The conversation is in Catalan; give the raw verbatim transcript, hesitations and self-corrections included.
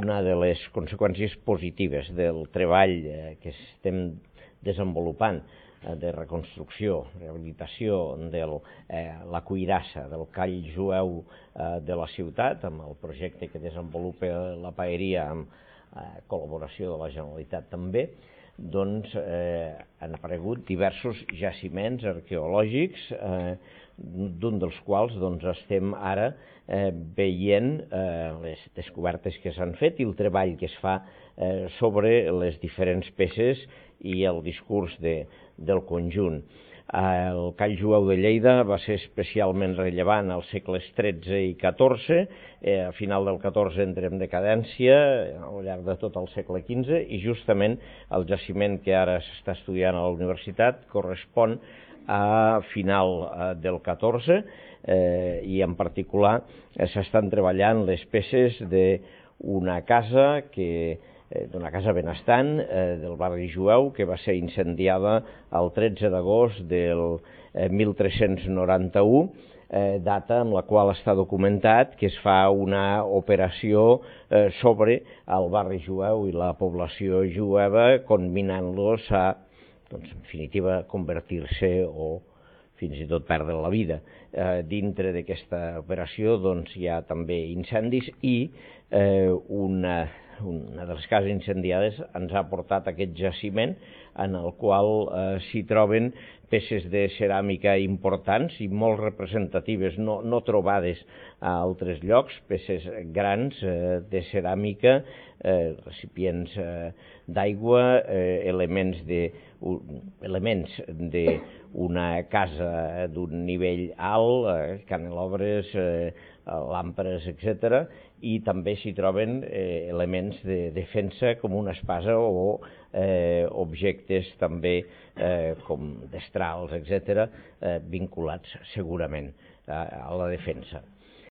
una de les conseqüències positives del treball que estem desenvolupant de reconstrucció, rehabilitació de la cuirassa del call jueu de la ciutat, amb el projecte que desenvolupa la paeria amb col·laboració de la Generalitat també, doncs han aparegut diversos jaciments arqueològics, d'un dels quals estem ara veient les descobertes que s'han fet i el treball que es fa sobre les diferents peces i el discurs del conjunt. El call jueu de Lleida va ser especialment rellevant als segles tretze i catorze, a final del catorze entra en decadència al llarg de tot el segle quinze i justament el jaciment que ara s'està estudiant a la universitat correspon a final del catorze i en particular s'estan treballant les peces d'una casa que d'una casa benestant del barri jueu que va ser incendiada el tretze d'agost del mil tres-cents noranta-u, data en la qual està documentat que es fa una operació sobre el barri jueu i la població jueva, conminant-los a, doncs, en definitiva, convertir-se o fins i tot perdre la vida. Dintre d'aquesta operació doncs, hi ha també incendis i una una de les cases incendiades ens ha portat aquest jaciment en el qual s'hi troben peces de ceràmica importants i molt representatives, no, no trobades a altres llocs, peces grans de ceràmica, recipients d'aigua, elements de elements d'una casa d'un nivell alt, canelobres, làmperes, etcètera, i també s'hi troben elements de defensa com una espasa o objectes també com destrals, etcètera, vinculats segurament a la defensa.